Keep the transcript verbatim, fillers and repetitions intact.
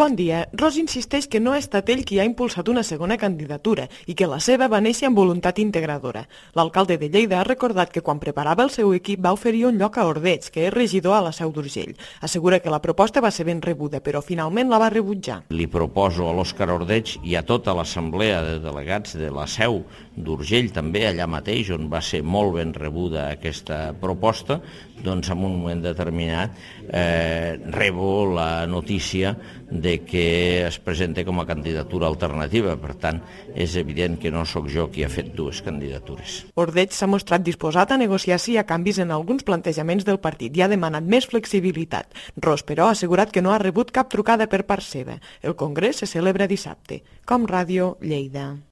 Bon dia. Ros insisteix que no ha estat ell qui ha impulsat una segona candidatura i que la seva va néixer amb voluntat integradora. L'alcalde de Lleida ha recordat que quan preparava el seu equip va oferir un lloc a Ordeig, que és regidor a la Seu d'Urgell. Assegura que la proposta va ser ben rebuda, però finalment la va rebutjar. Li proposo a l'Òscar Ordeig i a tota l'assemblea de delegats de la Seu d'Urgell, també allà mateix, on va ser molt ben rebuda aquesta proposta, doncs en un moment determinat eh, rebo la notícia de que es presenta com a candidatura alternativa. Per tant, és evident que no sóc jo qui ha fet dues candidatures. Ordeig s'ha mostrat disposat a negociar sí a canvis en alguns plantejaments del partit i ha demanat més flexibilitat. Ros, però, ha assegurat que no ha rebut cap trucada per part seva. El congrés se celebra dissabte. Com Ràdio, Lleida.